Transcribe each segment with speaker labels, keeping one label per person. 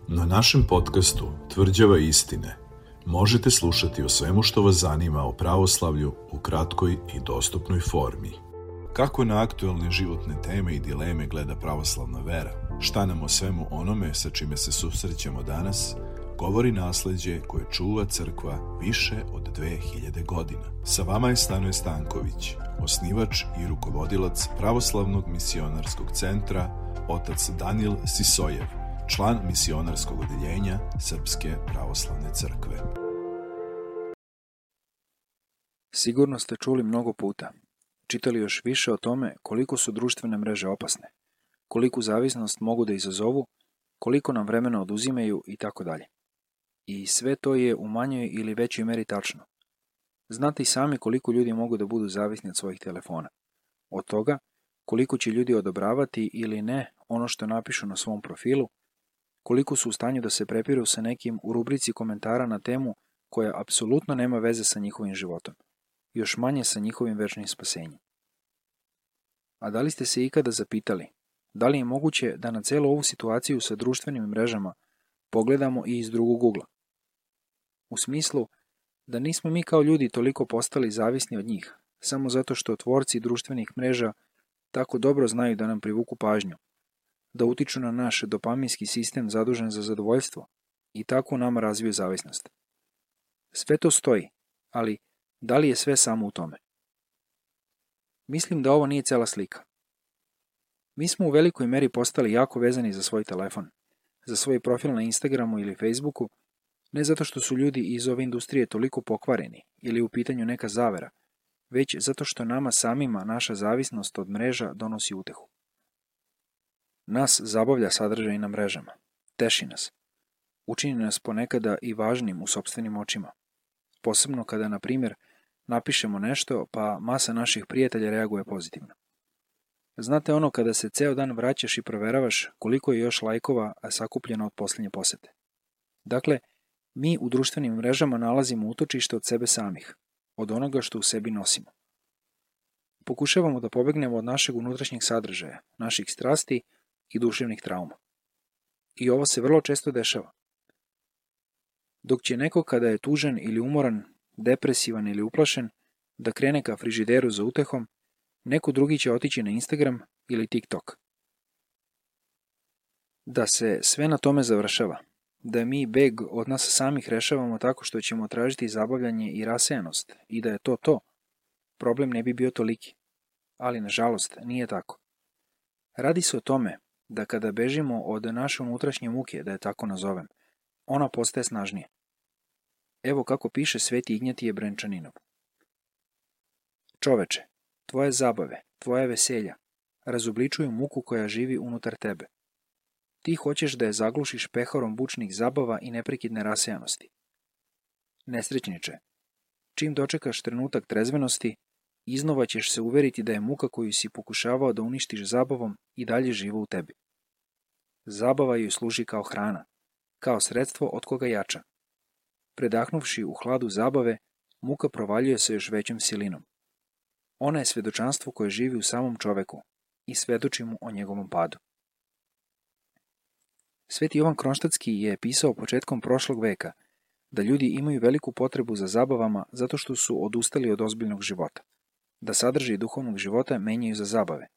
Speaker 1: Na našem podcastu Tvrđava istine možete slušati o svemu što vas zanima o pravoslavlju u kratkoj i dostupnoj formi. Kako na aktuelne životne teme i dileme gleda pravoslavna vera? Šta nam o svemu onome sa čime se susrećemo danas govori nasleđe koje čuva crkva više od 2000 godina. Sa vama je Stanoje Stanković, osnivač i rukovodilac Pravoslavnog misionarskog centra, otac Danijel Sisojev, član misionarskog odeljenja Srpske pravoslavne crkve.
Speaker 2: Sigurno ste čuli mnogo puta, čitali još više o tome koliko su društvene mreže opasne, koliku zavisnost mogu da izazovu, koliko nam vremena oduzimaju i tako dalje. I sve to je u manjoj ili većoj meri tačno. Znate i sami koliko ljudi mogu da budu zavisni od svojih telefona. Od toga koliko će ljudi odobravati ili ne ono što napišu na svom profilu, koliko su u stanju da se prepiru sa nekim u rubrici komentara na temu koja apsolutno nema veze sa njihovim životom, još manje sa njihovim večnim spasenjem. A da li ste se ikada zapitali, da li je moguće da na celu ovu situaciju sa društvenim mrežama pogledamo i iz drugog ugla? U smislu da nismo mi kao ljudi toliko postali zavisni od njih, samo zato što tvorci društvenih mreža tako dobro znaju da nam privuku pažnju, da utiču na naš dopaminski sistem zadužen za zadovoljstvo i tako u nama razviju zavisnost. Sve to stoji, ali da li je sve samo u tome? Mislim da ovo nije cela slika. Mi smo u velikoj meri postali jako vezani za svoj telefon, za svoj profil na Instagramu ili Facebooku, ne zato što su ljudi iz ove industrije toliko pokvareni ili u pitanju neka zavera, već zato što nama samima naša zavisnost od mreža donosi utehu. Nas zabavlja sadržaj na mrežama, teši nas, učini nas ponekada i važnim u sopstvenim očima, posebno kada, na primjer, napišemo nešto pa masa naših prijatelja reaguje pozitivno. Znate ono kada se ceo dan vraćaš i proveravaš koliko je još lajkova sakupljeno od posljednje posete. Dakle, mi u društvenim mrežama nalazimo utočište od sebe samih, od onoga što u sebi nosimo. Pokušavamo da pobegnemo od našeg unutrašnjeg sadržaja, naših strasti i duševnih trauma. I ovo se vrlo često dešava. Dok će neko kada je tužan ili umoran, depresivan ili uplašen, da krene ka frižideru za utehom, neko drugi će otići na Instagram ili TikTok. Da se sve na tome završava, da mi beg od nas samih rešavamo tako što ćemo tražiti zabavljanje i rasejanost i da je to, problem ne bi bio toliki. Ali, nažalost, nije tako. Radi se o tome da kada bežimo od naše unutrašnje muke, da je tako nazovem, ona postaje snažnija. Evo kako piše Sveti Ignjatije Brenčaninov. Čoveče, tvoje zabave, tvoje veselja, razobličuju muku koja živi unutar tebe. Ti hoćeš da je zaglušiš peharom bučnih zabava i neprekidne rasejanosti. Nesrećniče, čim dočekaš trenutak trezvenosti, iznova ćeš se uveriti da je muka koju si pokušavao da uništiš zabavom i dalje živa u tebi. Zabava joj služi kao hrana, kao sredstvo od koga jača. Predahnuvši u hladu zabave, muka provaljuje se još većom silinom. Ona je svedočanstvo koje živi u samom čoveku i svedoči mu o njegovom padu. Sveti Jovan Kronštatski je pisao početkom prošlog veka da ljudi imaju veliku potrebu za zabavama zato što su odustali od ozbiljnog života, da sadržaj duhovnog života menjaju za zabave.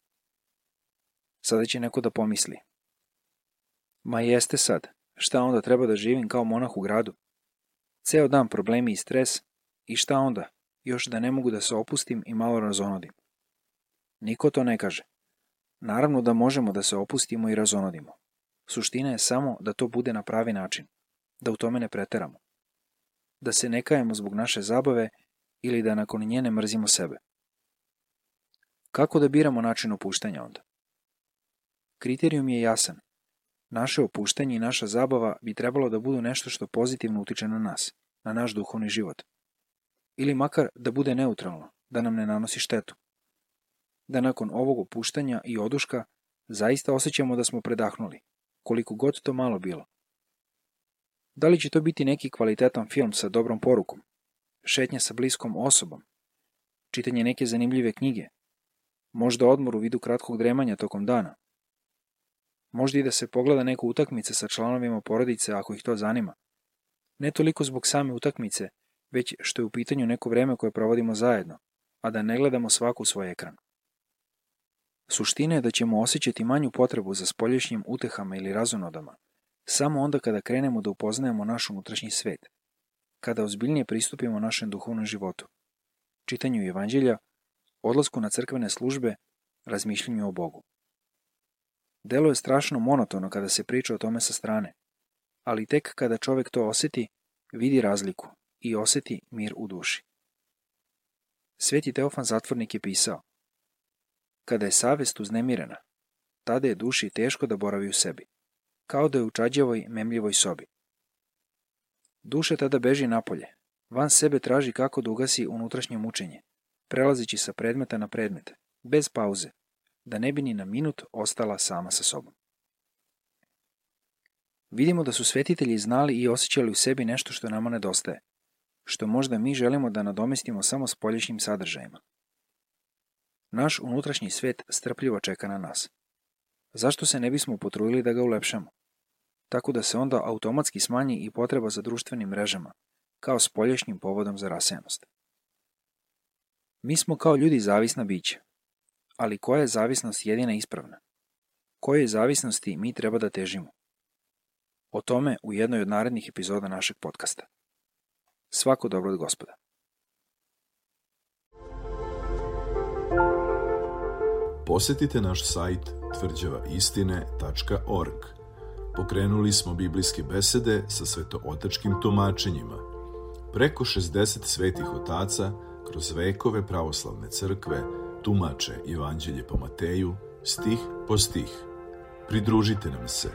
Speaker 2: Sada će neko da pomisli: ma jeste sad, šta onda treba da živim kao monah u gradu? Ceo dan problemi i stres i šta onda, još da ne mogu da se opustim i malo razonodim. Niko to ne kaže. Naravno da možemo da se opustimo i razonodimo. Suština je samo da to bude na pravi način, da u tome ne preteramo, da se ne kajemo zbog naše zabave ili da nakon nje ne mrzimo sebe. Kako da biramo način opuštanja onda? Kriterijum je jasan. Naše opuštanje i naša zabava bi trebalo da budu nešto što pozitivno utiče na nas, na naš duhovni život. Ili makar da bude neutralno, da nam ne nanosi štetu. Da nakon ovog opuštanja i oduška zaista osjećamo da smo predahnuli, koliko god to malo bilo. Da li će to biti neki kvalitetan film sa dobrom porukom, šetnja sa bliskom osobom, čitanje neke zanimljive knjige, možda odmor u vidu kratkog dremanja tokom dana? Možda i da se pogleda neka utakmica sa članovima porodice ako ih to zanima. Ne toliko zbog same utakmice, već što je u pitanju neko vreme koje provodimo zajedno, a da ne gledamo svaku svoj ekran. Suština je da ćemo osjećati manju potrebu za spoljašnjim utehama ili razonodama, samo onda kada krenemo da upoznajemo naš unutrašnji svet, kada ozbiljnije pristupimo našem duhovnom životu, čitanju evanđelja, odlasku na crkvene službe, razmišljanju o Bogu. Delo je strašno monotono kada se priča o tome sa strane, ali tek kada čovjek to osjeti, vidi razliku i osjeti mir u duši. Sveti Teofan Zatvornik je pisao: kada je savest uznemirena, tada je duši teško da boravi u sebi, kao da je u čađavoj, memljivoj sobi. Duša tada beži napolje, van sebe traži kako da ugasi unutrašnje mučenje, prelazeći sa predmeta na predmet, bez pauze, da ne bi ni na minut ostala sama sa sobom. Vidimo da su svetitelji znali i osjećali u sebi nešto što nama nedostaje, što možda mi želimo da nadomestimo samo spoljašnjim sadržajima. Naš unutrašnji svet strpljivo čeka na nas. Zašto se ne bismo potrudili da ga ulepšamo? Tako da se onda automatski smanji i potreba za društvenim mrežama, kao spoljašnjim povodom za rasejanost. Mi smo kao ljudi zavisna bića, ali koja je zavisnost jedina ispravna? Kojoj zavisnosti mi treba da težimo? O tome u jednoj od narednih epizoda našeg podcasta. Svako dobro od Gospoda.
Speaker 1: Posjetite naš sajt tvrđavaistine.org. Pokrenuli smo biblijske besede sa svetootačkim tumačenjima. Preko 60 svetih otaca kroz vekove pravoslavne crkve tumače Evanđelje po Mateju, stih po stih. Pridružite nam se